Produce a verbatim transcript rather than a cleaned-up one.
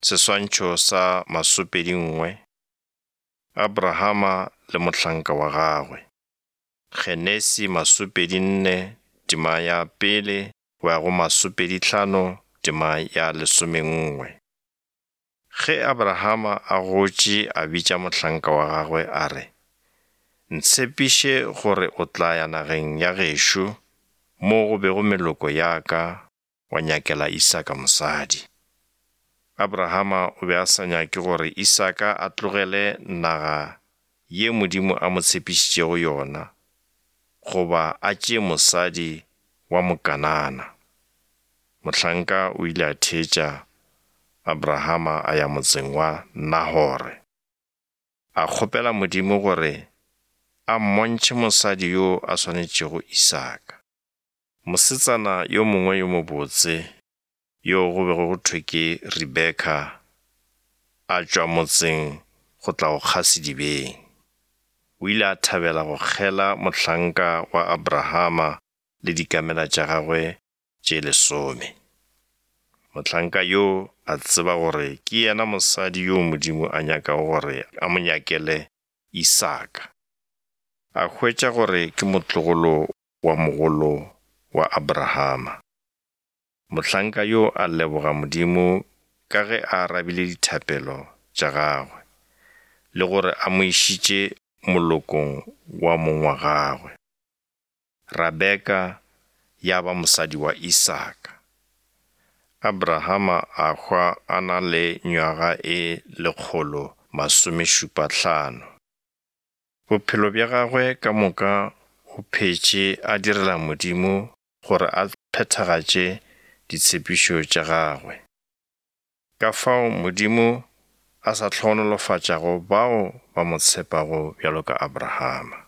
Seswantšho sa masomepedi nngwe, Abrahama le mohlanka wa gagwe. Genesi masomepedi nne tema ya pele go ya go masomepedi hlano tema ya lesomenngwe. Ge Abrahama a gotše a bitša mohlanka wa gagwe a re, Ntshepiše gore o tla ya nageng ya gešo mo go bego meloko ya ka wa nyakela Isaka mosadi. Abrahama o be a sa nyake gore Isaka a tlogele naga ye Modimo a mo tshepišitšego yona, goba a tšee mosadi wa Mokanana. Mohlanka o ile a theetša Abrahama a ya motseng wa Nahore. A kgopela Modimo gore a mmontšhe mosadi yo a swanetšego Isaka. Mosetsana yo mongwe yo mobotse yo go bego go thwe ke Rebeka a tšwa motseng go tla go kga sedibeng. O ile a thabela go kgela mohlanka wa Abrahama le dikamela tša gagwe tše lesome. Mohlanka yo a tseba gore ke yena mosadi yo Modimo a nyakago gore a mo nyakele Isaka. A hwetša gore ke motlogolo wa mogolo wa Abrahama. Mohlanka yo a leboga Modimo ka ge a arabile dithapelo tša gagwe, le gore a mo išitše molokong wa mong wa gagwe. Rebeka ya ba mosadi wa Isaka. Abrahama a hwa a na le nywaga e lekgolo masomešupa hlano. Bophelo bja gagwe ka moka o phetše a direla Modimo gore a phethagatše ditshepišo tša gagwe. Ka fao Modimo a sa hlogonolofatšago bao ba mo tshepago bjalo ka Abrahama.